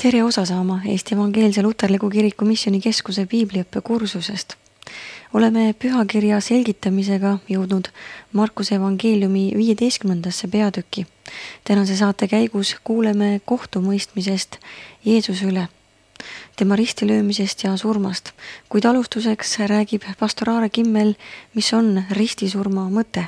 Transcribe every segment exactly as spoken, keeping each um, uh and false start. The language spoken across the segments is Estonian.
Tere osa saama Eesti Evangeelse Luterliku Kiriku Missioonikeskuse piibliõppe kursusest. Oleme pühakirja selgitamisega jõudnud Markuse evangeeliumi viieteistkümnendasse peatükki. Tänase saate käigus kuuleme kohtumõistmisest Jeesuse üle, tema ristilöömisest ja surmast, kuid alustuseks räägib pastor Aare Kimmel, mis on ristisurma mõte.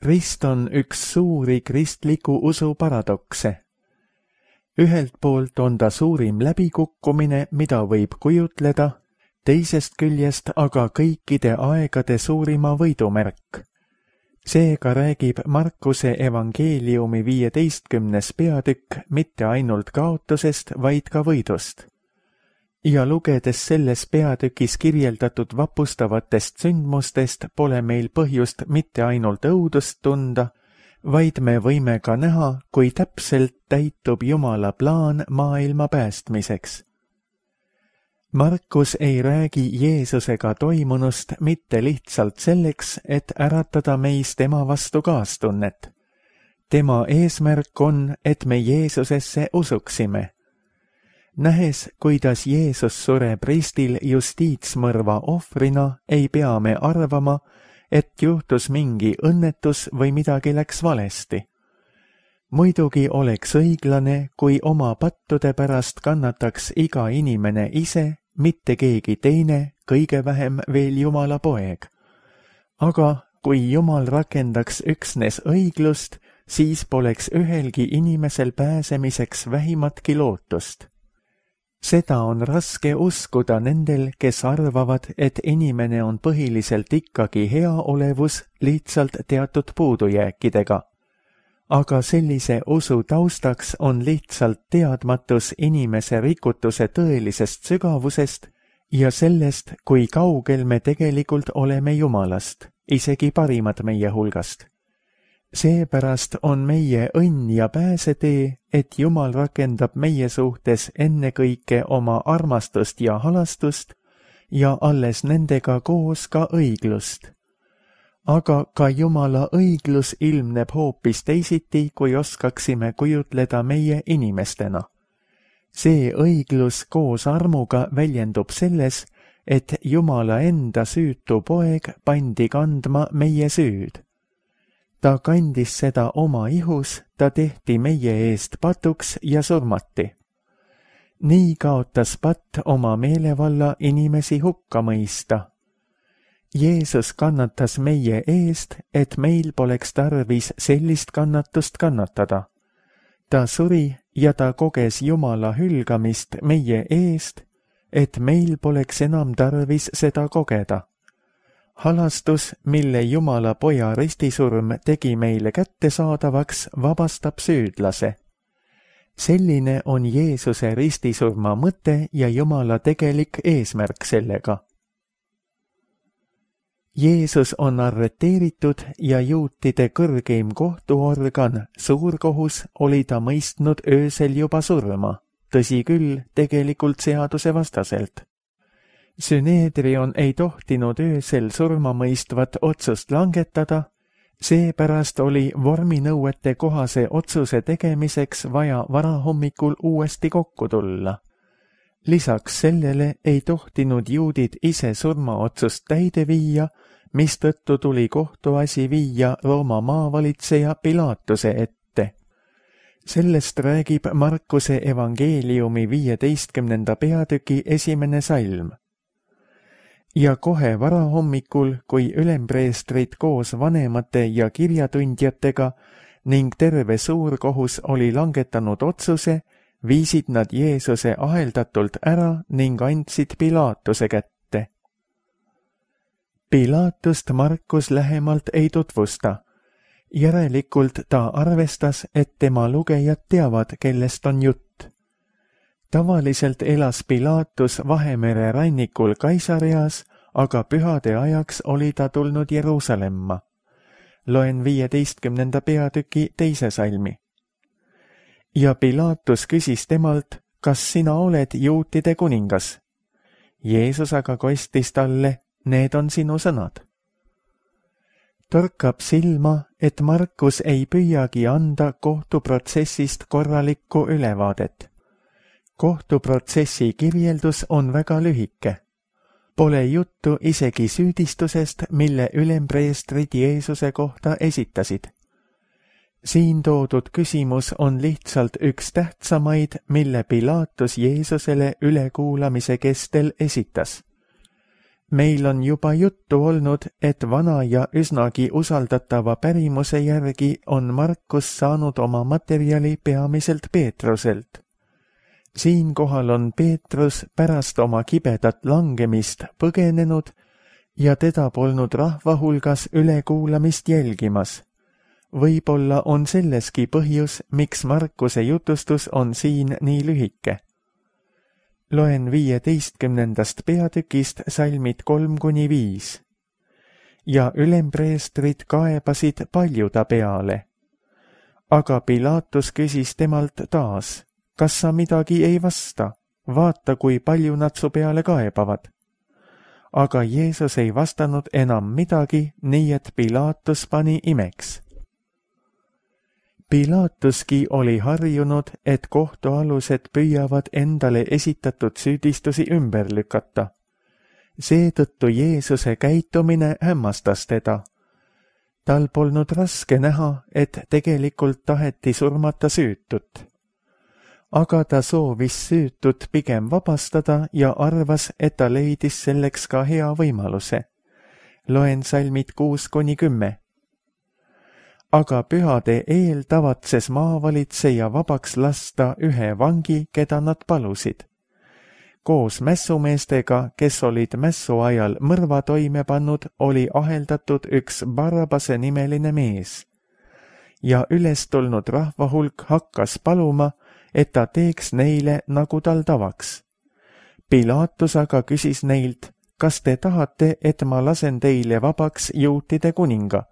Rist on üks suuri kristliku usu paradokse. Ühelt poolt on ta suurim läbikukkumine, mida võib kujutleda, teisest küljest aga kõikide aegade suurima võidumärk. Seega räägib Markuse evangeeliumi viieteistkümnes peatükk mitte ainult kaotusest, vaid ka võidust. Ja lugedes selles peatükis kirjeldatud vapustavatest sündmustest pole meil põhjust mitte ainult õudust tunda, vaid me võime ka näha, kui täpselt täitub Jumala plaan maailma päästmiseks. Markus ei räägi Jeesusega toimunust mitte lihtsalt selleks, et äratada meis tema vastu kaastunnet. Tema eesmärk on, et me Jeesusesse usuksime. Nähes, kuidas Jeesus sureb ristil justiitsmõrva ohvrina, ei pea me arvama, et juhtus mingi õnnetus või midagi läks valesti. Muidugi oleks õiglane, kui oma pattude pärast kannataks iga inimene ise, mitte keegi teine, kõige vähem veel Jumala poeg. Aga kui Jumal rakendaks üksnes õiglust, siis poleks ühelgi inimesel pääsemiseks vähimatki lootust. Seda on raske uskuda nendel, kes arvavad, et inimene on põhiliselt ikkagi heaolevus lihtsalt teatud puudujääkidega. Aga sellise usu taustaks on lihtsalt teadmatus inimese rikutuse tõelisest sügavusest ja sellest, kui kaugel me tegelikult oleme Jumalast, isegi parimad meie hulgast. Seepärast on meie õnn ja pääsetee, et Jumal rakendab meie suhtes ennekõike oma armastust ja halastust ja alles nendega koos ka õiglust. Aga ka Jumala õiglus ilmneb hoopis teisiti, kui oskaksime kujutleda meie inimestena. See õiglus koos armuga väljendub selles, et Jumala enda süütu poeg pandi kandma meie süüd. Ta kandis seda oma ihus, ta tehti meie eest patuks ja surmati. Nii kaotas patt oma meelevalla inimesi hukka mõista. Jeesus kannatas meie eest, et meil poleks tarvis sellist kannatust kannatada. Ta suri ja ta koges Jumala hülgamist meie eest, et meil poleks enam tarvis seda kogeda. Halastus, mille Jumala poja ristisurm tegi meile kättesaadavaks, vabastab süüdlase. Selline on Jeesuse ristisurma mõte ja Jumala tegelik eesmärk sellega. Jeesus on arreteeritud ja juutide kõrgeim kohtuorgan, suurkohus, oli ta mõistnud öösel juba surma, tõsi küll, tegelikult seaduse vastaselt. Süneedrion ei tohtinud öösel surmamõistvat otsust langetada, seepärast oli vorminõuete kohase otsuse tegemiseks vaja varahommikul uuesti kokku tulla. Lisaks sellele ei tohtinud juudid ise surmaotsust täide viia, mistõttu tuli kohtuasi viia Rooma maavalitseja Pilaatuse ette. Sellest räägib Markuse evangeeliumi viieteistkümnenda peatüki esimene salm. Ja kohe varahommikul, kui ülempreestrid koos vanemate ja kirjatundjatega ning terve suurkohus oli langetanud otsuse, viisid nad Jeesuse aheldatult ära ning andsid Pilaatuse kätte. Pilaatust Markus lähemalt ei tutvusta. Järelikult ta arvestas, et tema lugejad teavad, kellest on jutt. Tavaliselt elas Pilaatus Vahemere rannikul Kaisareas, aga pühade ajaks oli ta tulnud Jeruusalemma. Loen viieteistkümnenda peatüki teise salmi. Ja Pilaatus küsis temalt, kas sina oled juutide kuningas? Jeesus aga kostis talle, need on sinu sõnad. torkab silma, et Markus ei püüagi anda kohtuprotsessist korralikku ülevaadet. Kohtuprotsessi kirjeldus on väga lühike. Pole juttu isegi süüdistusest, mille ülempreestrid Jeesuse kohta esitasid. Siin toodud küsimus on lihtsalt üks tähtsamaid, mille Pilatus Jeesusele ülekuulamise kestel esitas. Meil on juba juttu olnud, et vana ja üsnagi usaldatava pärimuse järgi on Markus saanud oma materjali peamiselt Peetruselt. Siinkohal on Peetrus pärast oma kibedat langemist põgenenud ja teda polnud rahva hulgas ülekuulamist jälgimas. Võib-olla on selleski põhjus, miks Markuse jutustus on siin nii lühike. Loen viieteistkümnendast peatükist salmid kolm kuni viis. Ja ülempreestrid kaebasid palju ta peale. Aga Pilatus küsis temalt taas, kas sa midagi ei vasta? Vaata, kui palju nad su peale kaebavad. Aga Jeesus ei vastanud enam midagi, nii et Pilatus pani imeks. Pilatuski oli harjunud, et kohtualused püüavad endale esitatud süüdistusi ümber lükata. Seetõttu Jeesuse käitumine hämmastas teda. Tal polnud raske näha, et tegelikult taheti surmata süütut. Aga ta soovis süütut pigem vabastada ja arvas, et ta leidis selleks ka hea võimaluse. Loen salmid kuus kuni kümme. Aga pühade eel tavatses maavalitseja vabaks lasta ühe vangi, keda nad palusid. Koos mässumeestega, kes olid mässu ajal mõrva toime pannud, oli aheldatud üks Barabase nimeline mees. Ja üles tulnud rahva hulk hakkas paluma, et ta teeks neile, nagu tal tavaks. Pilatus aga küsis neilt, kas te tahate, et ma lasen teile vabaks juutide kuninga?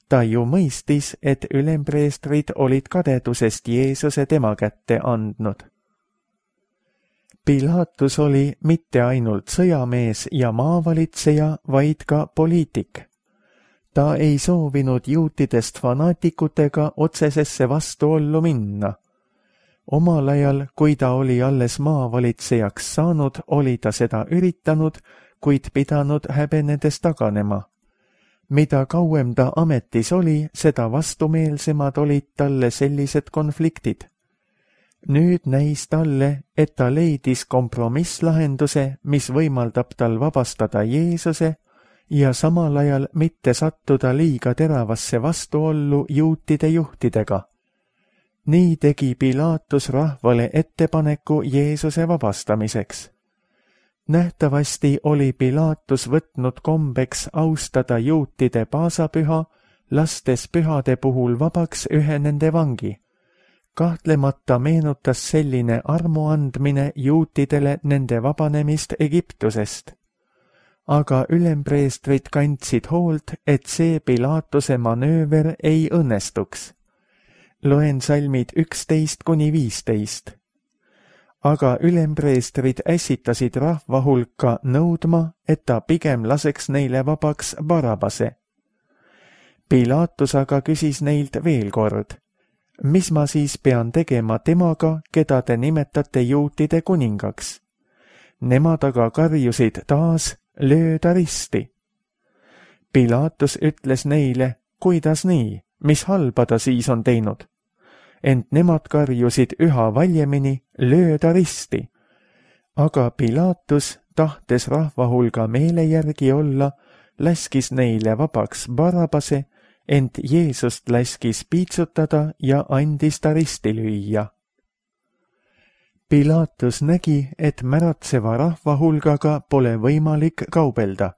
Ta ju mõistis, et ülempreestrid olid kadedusest Jeesuse tema kätte andnud. Pilatus oli mitte ainult sõjamees ja maavalitseja, vaid ka poliitik. Ta ei soovinud juutidest fanaatikutega otsesesse vastuollu minna. Omal ajal, kui ta oli alles maavalitsejaks saanud, oli ta seda üritanud, kuid pidanud häbenedes taganema. Mida kauem ta ametis oli, seda vastumeelsemad olid talle sellised konfliktid. Nüüd näis talle, et ta leidis kompromisslahenduse, mis võimaldab tal vabastada Jeesuse ja samal ajal mitte sattuda liiga teravasse vastuollu juutide juhtidega. Nii tegi Pilatus rahvale ettepaneku Jeesuse vabastamiseks. Nähtavasti oli Pilatus võtnud kombeks austada juutide paasapüha, lastes pühade puhul vabaks ühe nende vangi. Kahtlemata meenutas selline armu andmine juutidele nende vabanemist Egiptusest. Aga ülempreestrid kandsid hoolt, et see Pilatuse manööver ei õnnestuks. Loen salmid üksteist kuni viisteist. Aga ülempreestrid ässitasid rahva hulka nõudma, et ta pigem laseks neile vabaks Barabase. Pilatus aga küsis neilt veel kord, mis ma siis pean tegema temaga, keda te nimetate juutide kuningaks? Nemad aga karjusid taas, löö ta risti. Pilatus ütles neile, kuidas nii, mis halba ta siis on teinud? Ent nemad karjusid üha valjemini, löö ta risti. Aga Pilatus, tahtes rahva hulga meele järgi olla, läskis neile vabaks Barabase, ent Jeesust läskis piitsutada ja andis ta risti lüüa. Pilatus nägi, et märatseva rahva hulgaga pole võimalik kaubelda.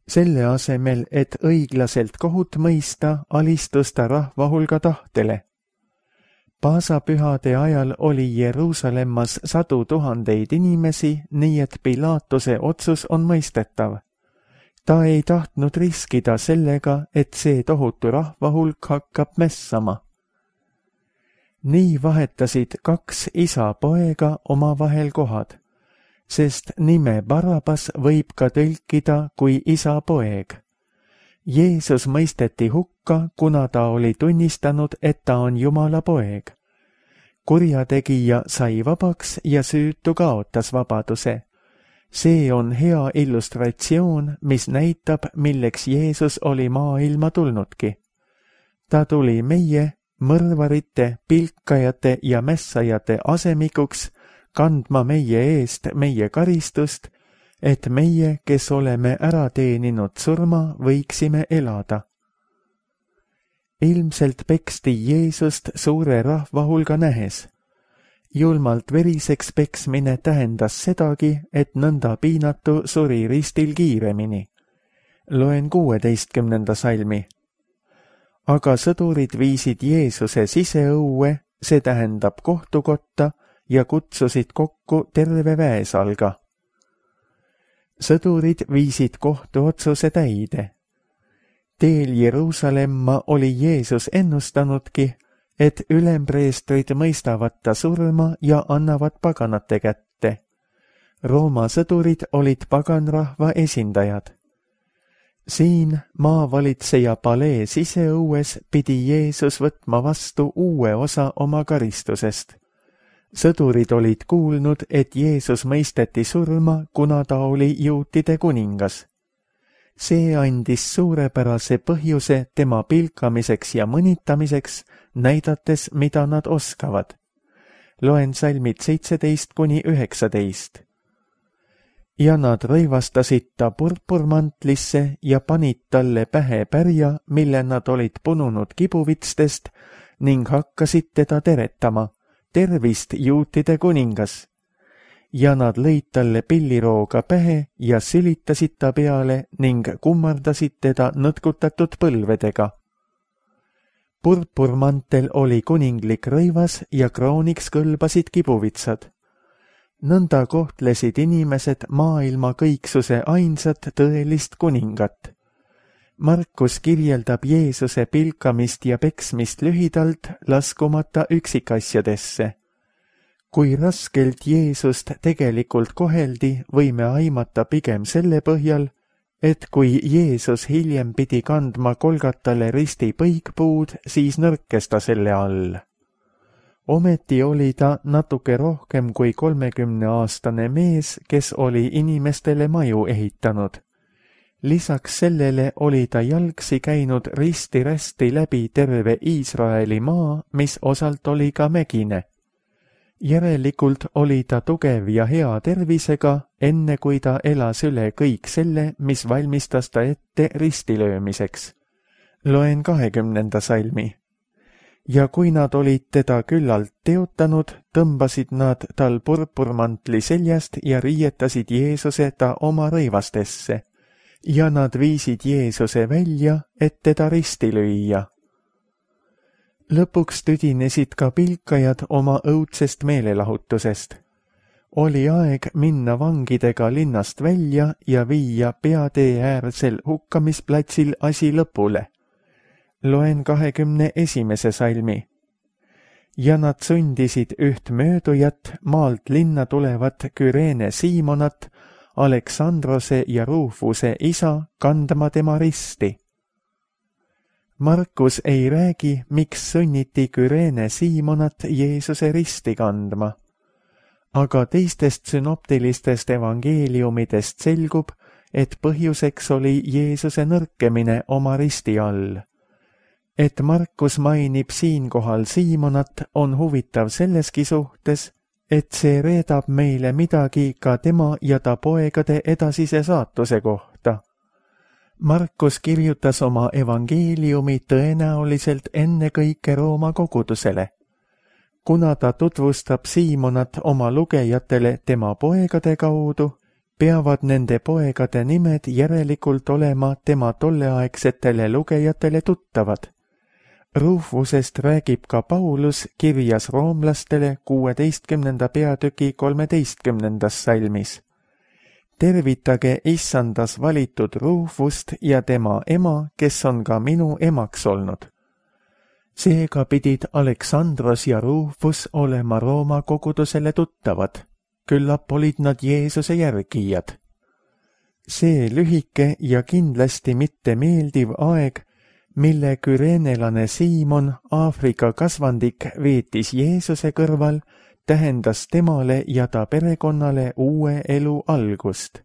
Selle asemel, et õiglaselt kohut mõista, alistus ta rahva hulga tahtele. Paasapühade ajal oli Jeruusalemmas sadu tuhandeid inimesi, nii et Pilatuse otsus on mõistetav. Ta ei tahtnud riskida sellega, et see tohutu rahva hulk hakkab mässama. Nii vahetasid kaks isa poega omavahel kohad, sest nime Barabas võib ka tõlkida kui isa poeg. Jeesus mõisteti hukka, kuna ta oli tunnistanud, et ta on Jumala poeg. Kurjategija sai vabaks ja süütu kaotas vabaduse. See on hea illustratsioon, mis näitab, milleks Jeesus oli maailma tulnudki. Ta tuli meie, mõrvarite, pilkajate ja mässajate asemikuks, kandma meie eest meie karistust, et meie, kes oleme ära teeninud surma, võiksime elada. Ilmselt peksti Jeesust suure rahva hulga nähes. Julmalt veriseks peksmine tähendas sedagi, et nõnda piinatu suri ristil kiiremini. Loen kuueteistkümnenda salmi. Aga sõdurid viisid Jeesuse siseõue, see tähendab kohtukotta, ja kutsusid kokku terve väesalga. Sõdurid viisid kohtuotsuse täide. Teel Jeruusalemma oli Jeesus ennustanudki, et ülempreestrid mõistavad ta surma ja annavad paganate kätte. Rooma sõdurid olid paganrahva esindajad. Siin maavalitseja palee siseõues pidi Jeesus võtma vastu uue osa oma karistusest. Sõdurid olid kuulnud, et Jeesus mõisteti surma, kuna ta oli juutide kuningas. See andis suurepärase põhjuse tema pilkamiseks ja mõnitamiseks, näidates, mida nad oskavad. Loen salmid seitseteist kuni üheksateist. Ja nad rõivastasid ta purpurmantlisse ja panid talle pähe pärja, mille nad olid pununud kibuvitstest, ning hakkasid teda teretama. Tervist, juutide kuningas! Ja nad lõid talle pillirooga pähe ja sülitasid ta peale ning kummardasid teda nõtkutatud põlvedega. Purpurmantel oli kuninglik rõivas ja krooniks kõlbasid kibuvitsad. Nõnda kohtlesid inimesed maailma kõiksuse ainsat tõelist kuningat. Markus kirjeldab Jeesuse pilkamist ja peksmist lühidalt, laskumata üksikasjadesse. Kui raskelt Jeesust tegelikult koheldi, võime aimata pigem selle põhjal, et kui Jeesus hiljem pidi kandma Kolgatale risti põikpuud, siis nõrkes ta selle all. Ometi oli ta natuke rohkem kui kolmekümneaastane mees, kes oli inimestele maju ehitanud. Lisaks sellele oli ta jalgsi käinud risti-rästi läbi terve Iisraeli maa, mis osalt oli ka mägine. Järelikult oli ta tugev ja hea tervisega, enne kui ta elas üle kõik selle, mis valmistas ta ette ristilöömiseks. Loen kahekümnenda salmi. Ja kui nad olid teda küllalt teotanud, tõmbasid nad tal purpurmantli seljast ja riietasid Jeesuse ta oma rõivastesse. Ja nad viisid Jeesuse välja, et teda risti lüüa. Lõpuks tüdinesid ka pilkajad oma õudsest meelelahutusest. Oli aeg minna vangidega linnast välja ja viia peatee äärsel hukkamisplatsil asi lõpule. Loen kahekümne esimese salmi. Ja nad sundisid üht möödujat maalt linna tulevat Küreene Siimonat, Aleksandrose ja Ruufuse isa, kandma tema risti. Markus ei räägi, miks sunniti Küreene Siimonat Jeesuse risti kandma. Aga teistest sünoptilistest evangeeliumidest selgub, et põhjuseks oli Jeesuse nõrkemine oma risti all. Et Markus mainib siinkohal Siimonat, on huvitav selleski suhtes, et see reedab meile midagi ka tema ja ta poegade edasise saatuse kohta. Markus kirjutas oma evangeeliumi tõenäoliselt ennekõike Rooma kogudusele. Kuna ta tutvustab Siimonat oma lugejatele tema poegade kaudu, peavad nende poegade nimed järelikult olema tema tolleaegsetele lugejatele tuttavad. Ruufusest räägib ka Paulus kirjas roomlastele kuueteistkümnenda peatüki kolmeteistkümnendas salmis. Tervitage issandas valitud Ruufust ja tema ema, kes on ka minu emaks olnud. Seega pidid Aleksandros ja Ruufus olema Rooma kogudusele tuttavad. Küllap olid nad Jeesuse järgijad. see lühike ja kindlasti mitte meeldiv aeg, mille küreenelane Siimon, Aafrika kasvandik, veetis Jeesuse kõrval, tähendas temale ja ta perekonnale uue elu algust.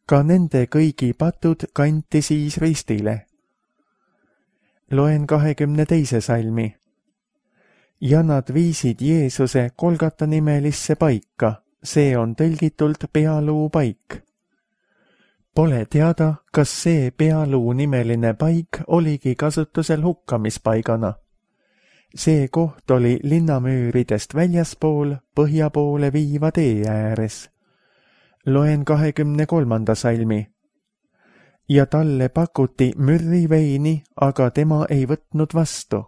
Ka nende kõigi patud kanti siis ristile. Loen kahekümne teise salmi. Ja nad viisid Jeesuse Kolgata nimelisse paika, see on tõlgitult pealuu paik. Pole teada, kas see pealuu nimeline paik oligi kasutusel hukkamispaigana. See koht oli linnamüüridest väljaspool põhja poole viiva tee ääres. Loen kahekümne kolmanda salmi. Ja talle pakuti mürriveini, aga tema ei võtnud vastu.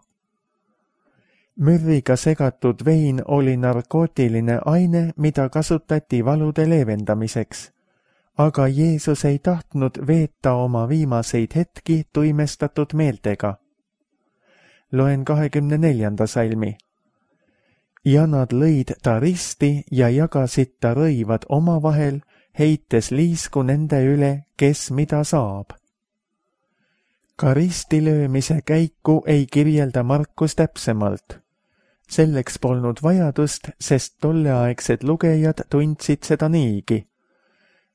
Mürriga segatud vein oli narkootiline aine, mida kasutati valude leevendamiseks. Aga Jeesus ei tahtnud veeta oma viimaseid hetki tuimestatud meeltega. Loen kahekümne neljanda salmi. Ja nad lõid ta risti ja jagasid ta rõivad omavahel, heites liisku nende üle, kes mida saab. Ka ristilöömise käiku ei kirjelda Markus täpsemalt. Selleks polnud vajadust, sest tolleaegsed lugejad tundsid seda niigi.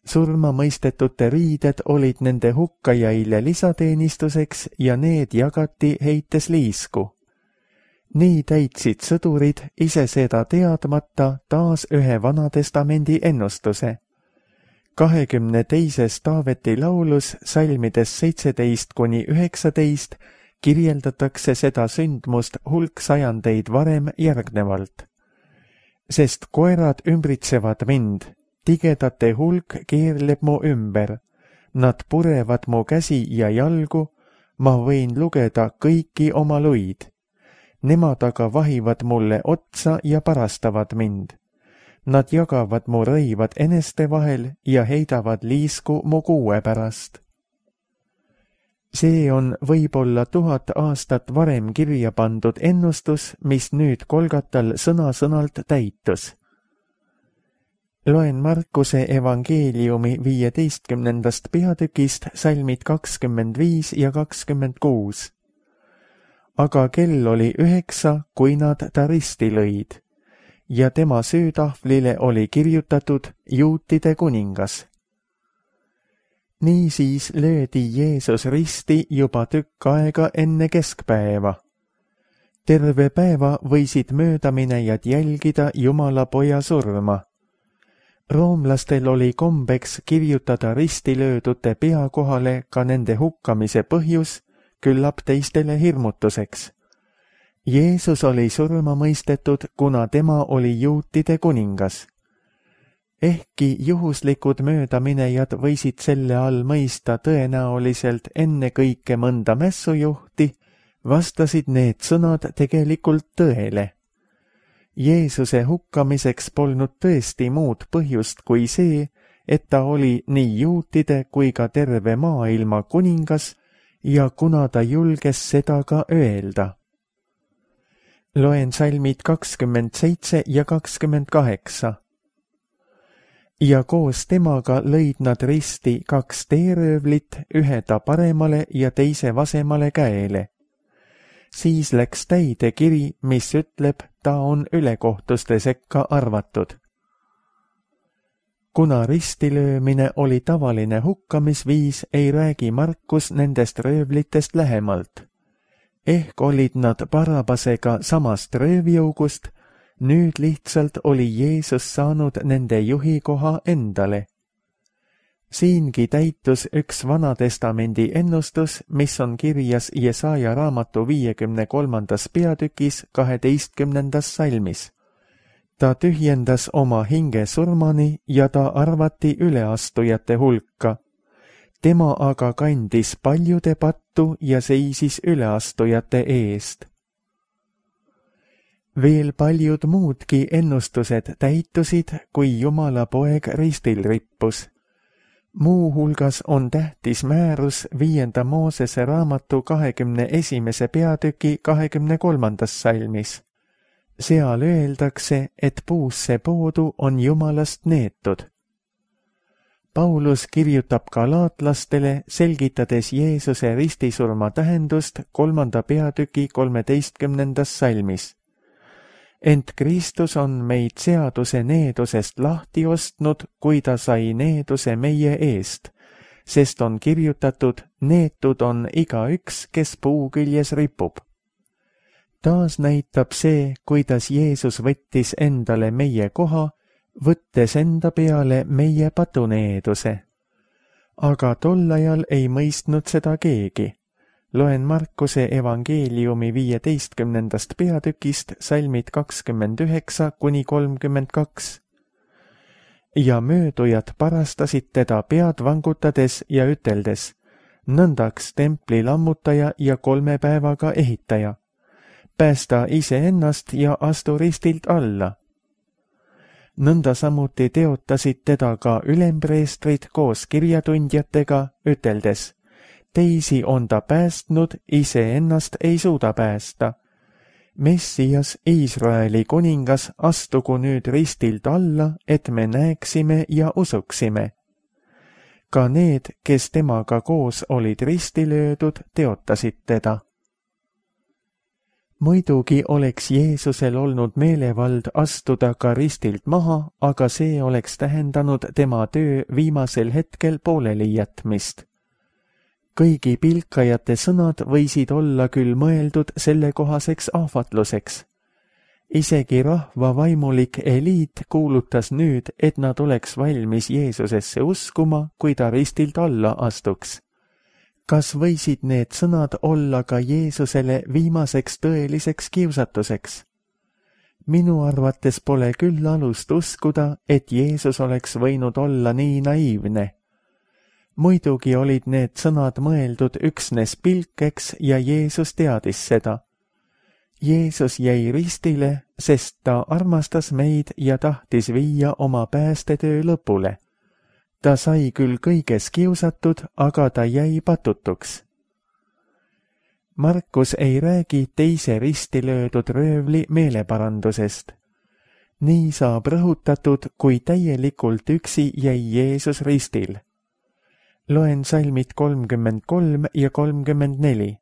Surma mõistetute riided olid nende hukkajaile lisateenistuseks ja need jagati heites liisku. Nii täitsid sõdurid ise seda teadmata taas ühe Vanatestamendi ennustuse. kahekümne teises Taaveti laulus salmides seitseteist kuni üheksateist kirjeldatakse seda sündmust hulk sajandeid varem järgnevalt. Sest koerad ümbritsevad mind, tigedate hulk keerleb mu ümber, nad purevad mu käsi ja jalgu, ma võin lugeda kõiki oma luid. Nemad aga vahivad mulle otsa ja parastavad mind. Nad jagavad mu rõivad eneste vahel ja heidavad liisku mu kuue pärast. See on võib-olla tuhat aastat varem kirja pandud ennustus, mis nüüd Kolgatal sõna-sõnalt täitus. Loen Markuse evangeeliumi viieteistkümnendast peatükist salmid kakskümmend viis ja kakskümmend kuus. Aga kell oli üheksa, kui nad ta risti lõid, ja tema süütahvlile oli kirjutatud juutide kuningas. Niisiis löödi Jeesus risti juba tükk aega enne keskpäeva. Terve päeva võisid möödaminejad jälgida Jumala poja surma. Roomlastel oli kombeks kirjutada ristilöödute pea kohale ka nende hukkamise põhjus, küllap teistele hirmutuseks. Jeesus oli surma mõistetud, kuna tema oli juutide kuningas. Ehkki juhuslikud möödaminejad võisid selle all mõista tõenäoliselt ennekõike mõnda mässujuhti, vastasid need sõnad tegelikult tõele. Jeesuse hukkamiseks polnud tõesti muud põhjust kui see, et ta oli nii juutide kui ka terve maailma kuningas ja kuna ta julges seda ka öelda. Loen salmid kakskümmend seitse ja kakskümmend kaheksa. Ja koos temaga lõid nad risti kaks teeröövlit, ühe ta paremale ja teise vasemale käele. Siis läks täide kiri, mis ütleb, ta on ülekohtuste sekka arvatud. Kuna ristilöömine oli tavaline hukkamisviis, ei räägi Markus nendest röövlitest lähemalt. Ehk olid nad Barabasega samast röövjougust, nüüd lihtsalt oli Jeesus saanud nende juhi koha endale. Siingi täitus üks Vanatestamendi ennustus, mis on kirjas Jesaja raamatu viiekümne kolmandas peatükis kaheteistkümnendas salmis. Ta tühjendas oma hinge surmani ja ta arvati üleastujate hulka. Tema aga kandis paljude pattu ja seisis üleastujate eest. Veel paljud muudki ennustused täitusid, kui Jumala poeg ristil rippus. Muu hulgas on tähtis määrus viienda Moosese raamatu kahekümne esimese peatüki kahekümne kolmandas salmis. Seal öeldakse, et puusse poodu on Jumalast neetud. Paulus kirjutab galaatlastele, selgitades Jeesuse ristisurma tähendust kolmanda peatüki kolmeteistkümnendas salmis. Ent Kristus on meid seaduse needusest lahti ostnud, kui ta sai needuse meie eest, sest on kirjutatud, neetud on igaüks, kes puu küljes ripub. Taas näitab see, kuidas Jeesus võttis endale meie koha, võttes enda peale meie patuneeduse. Aga tol ajal ei mõistnud seda keegi. Loen Markuse evangeeliumi viieteistkümnendast peatükist salmid kakskümmend üheksa kuni kolmkümmend kaks. Ja möödujad parastasid teda pead vangutades ja üteldes, nõndaks templi lammutaja ja kolme päevaga ehitaja. Päästa iseennast ja astu ristilt alla. Nõnda samuti teotasid teda ka ülempreestrid koos kirjatundjatega, üteldes, teisi on ta päästnud, iseennast ei suuda päästa. Messias, Iisraeli kuningas, astugu nüüd ristilt alla, et me näeksime ja usuksime. Ka need, kes temaga koos olid risti löödud, teotasid teda. Muidugi oleks Jeesusel olnud meelevald astuda ka ristilt maha, aga see oleks tähendanud tema töö viimasel hetkel pooleli jätmist. Kõigi pilkajate sõnad võisid olla küll mõeldud sellekohaseks ahvatluseks. Isegi rahva vaimulik eliit kuulutas nüüd, et nad oleks valmis Jeesusesse uskuma, kui ta ristilt alla astuks. Kas võisid need sõnad olla ka Jeesusele viimaseks tõeliseks kiusatuseks? Minu arvates pole küll alust uskuda, et Jeesus oleks võinud olla nii naiivne. Muidugi olid need sõnad mõeldud üksnes pilkeks ja Jeesus teadis seda. Jeesus jäi ristile, sest ta armastas meid ja tahtis viia oma päästetöö lõpule. Ta sai küll kõiges kiusatud, aga ta jäi patutuks. Markus ei räägi teise risti löödud röövli meeleparandusest. Nii saab rõhutatud, kui täielikult üksi jäi Jeesus ristil. Loen salmid kolmkümmend kolm ja kolmkümmend neli.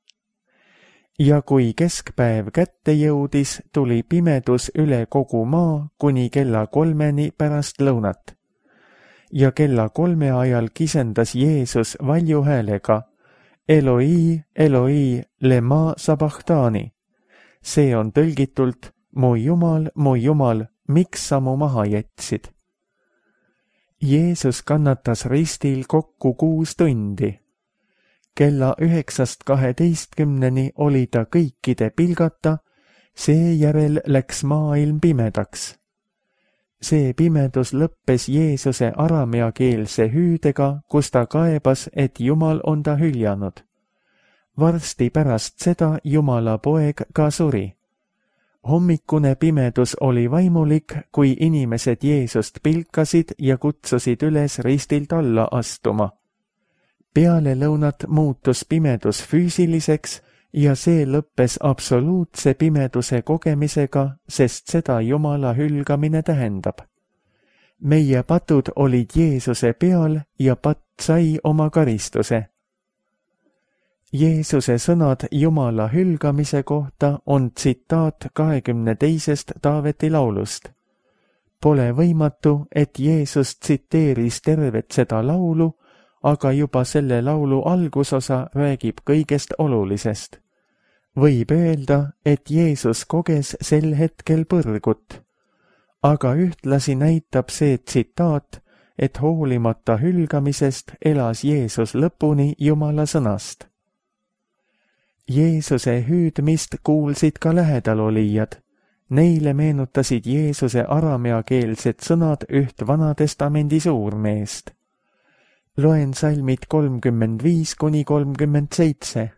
Ja kui keskpäev kätte jõudis, tuli pimedus üle kogu maa kuni kella kolmeni pärast lõunat. Ja kella kolme ajal kisendas Jeesus valju häälega, Eloi, Eloi, lema sabachthani. See on tõlgitult, mu Jumal, mu Jumal, miks sa mu maha jätsid? Jeesus kannatas ristil kokku kuus tundi. Kella üheksast kaheteistkümneni oli ta kõikide pilgata, seejärel läks maailm pimedaks. See pimedus lõppes Jeesuse arameakeelse hüüdega, kus ta kaebas, et Jumal on ta hüljanud. Varsti pärast seda Jumala poeg ka suri. Hommikune pimedus oli vaimulik, kui inimesed Jeesust pilkasid ja kutsusid üles ristilt alla astuma. Peale lõunat muutus pimedus füüsiliseks ja see lõppes absoluutse pimeduse kogemisega, sest seda Jumala hülgamine tähendab. Meie patud olid Jeesuse peal ja patt sai oma karistuse. Jeesuse sõnad Jumala hülgamise kohta on tsitaat kahekümne teisest Taaveti laulust. Pole võimatu, et Jeesus tsiteeris tervet seda laulu, aga juba selle laulu algusosa räägib kõigest olulisest. Võib öelda, et Jeesus koges sel hetkel põrgut, aga ühtlasi näitab see tsitaat, et hoolimata hülgamisest elas Jeesus lõpuni Jumala sõnast. Jeesuse hüüdmist kuulsid ka lähedalolijad. Neile meenutasid Jeesuse arameakeelsed sõnad üht Vanatestamendi suurmeest. Loen salmid kolmkümmend viis kuni kolmkümmend seitse.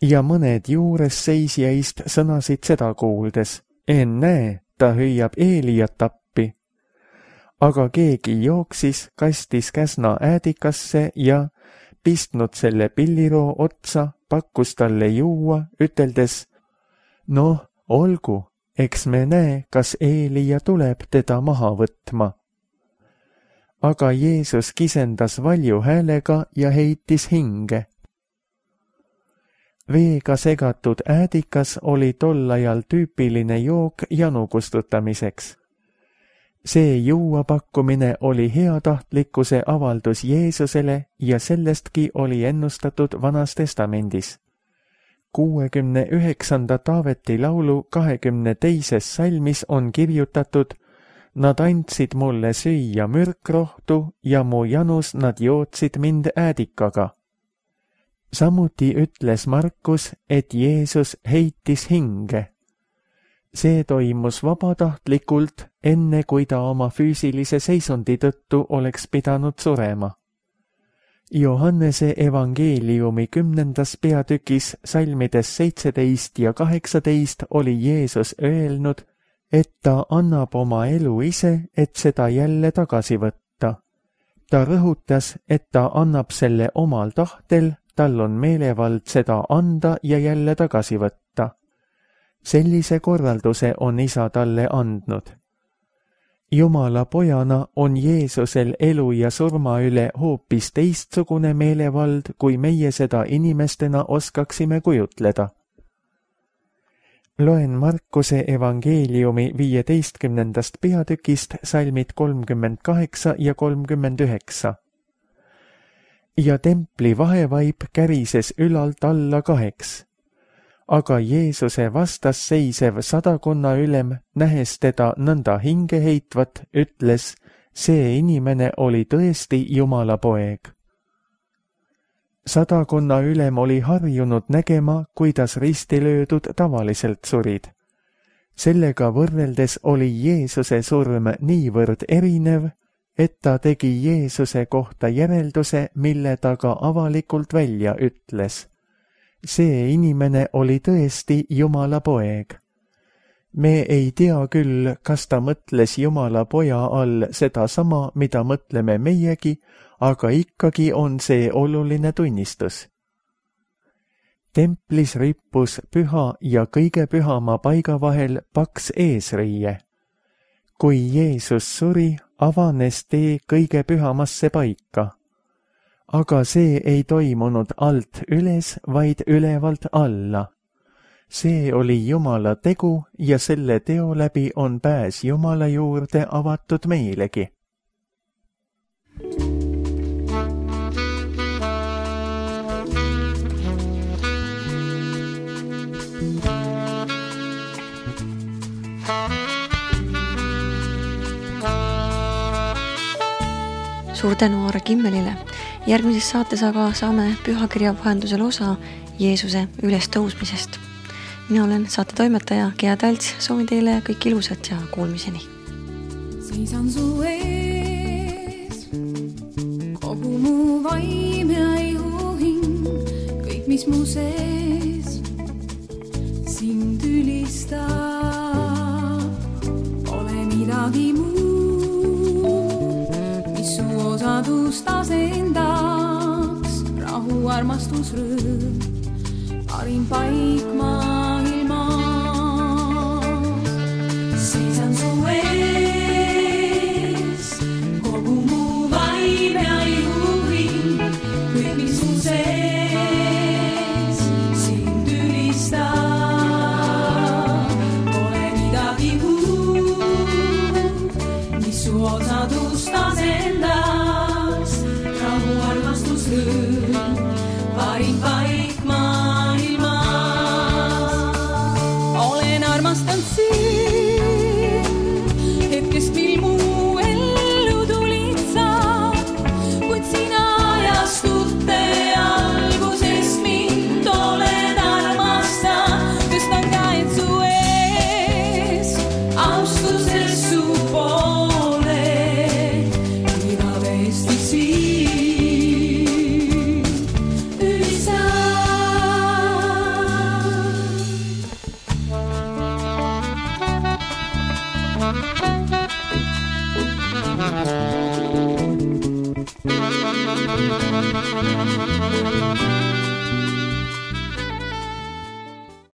Ja mõned juures seisjaist sõnasid seda kuuldes, ennäe, ta hüüab Eeliat appi. Aga keegi jooksis, kastis käsna äädikasse ja pistnud selle pilliroo otsa, pakkus talle juua, üteldes, noh, olgu, eks me näe, kas Eelia tuleb teda maha võtma. aga Jeesus kisendas valju häälega ja heitis hinge. Veega segatud äädikas oli tol ajal tüüpiline jook janu kustutamiseks. See juuapakkumine oli heatahtlikkuse avaldus Jeesusele ja sellestki oli ennustatud Vanas Testamendis. kuuekümne üheksanda Taaveti laulu kahekümne teises salmis on kirjutatud: Nad andsid mulle süüa mürkrohtu ja mu janus nad jootsid mind äädikaga. Samuti ütles Markus, et Jeesus heitis hinge. See toimus vabatahtlikult, enne kui ta oma füüsilise seisundi tõttu oleks pidanud surema. Johannese evangeeliumi kümnendas peatükis salmides seitseteist ja kaheksateist oli Jeesus öelnud, et ta annab oma elu ise, et seda jälle tagasi võtta. Ta rõhutas, et ta annab selle omal tahtel, tal on meelevald seda anda ja jälle tagasi võtta. Sellise korralduse on isa talle andnud. Jumala pojana on Jeesusel elu ja surma üle hoopis teistsugune meelevald, kui meie seda inimestena oskaksime kujutleda. Loen Markuse evangeeliumi viieteistkümnendast peatükist salmid kolmkümmend kaheksa ja kolmkümmend üheksa. Ja templi vahevaip kärises ülalt alla kaheks. Aga Jeesuse vastas seisev sadakonna ülem, nähes teda nõnda hinge heitvat, ütles, see inimene oli tõesti Jumala poeg. Sadakonna ülem oli harjunud nägema, kuidas risti löödud tavaliselt surid. Sellega võrreldes oli Jeesuse surm niivõrd erinev, et ta tegi Jeesuse kohta järelduse, mille ta ka avalikult välja ütles. See inimene oli tõesti Jumala poeg. Me ei tea küll, kas ta mõtles Jumala poja all seda sama, mida mõtleme meiegi, aga ikkagi on see oluline tunnistus. Templis rippus püha ja kõige pühama paiga vahel paks eesriie. Kui Jeesus suri, avanes tee kõige pühamasse paika. Aga see ei toimunud alt üles, vaid ülevalt alla. See oli Jumala tegu ja selle teo läbi on pääs Jumala juurde avatud meilegi. Suur tänu Aare Kimmelile. Järgmises saates aga saame pühakirja vahendusel osa Jeesuse ülestõusmisest. Mina olen saate toimetaja Gea Talts, soovin teile kõik ilusat ja kuulmiseni. Seisan su ees, kogu mu vaim ja ihuhing, kõik mis mu sees sind ülistab, pole midagi muud, mis su osadust asendaks, rahu, armastus, rõõm, parim paik maailmas. Seisan su ees, kogu mu vaim ja ihuhing, kõik mis su sees sind ülistab, pole midagi muud, mis su osadust asendaks, rahu, armastus, rõõm, parim paik maailmas. Olen armastanud sind.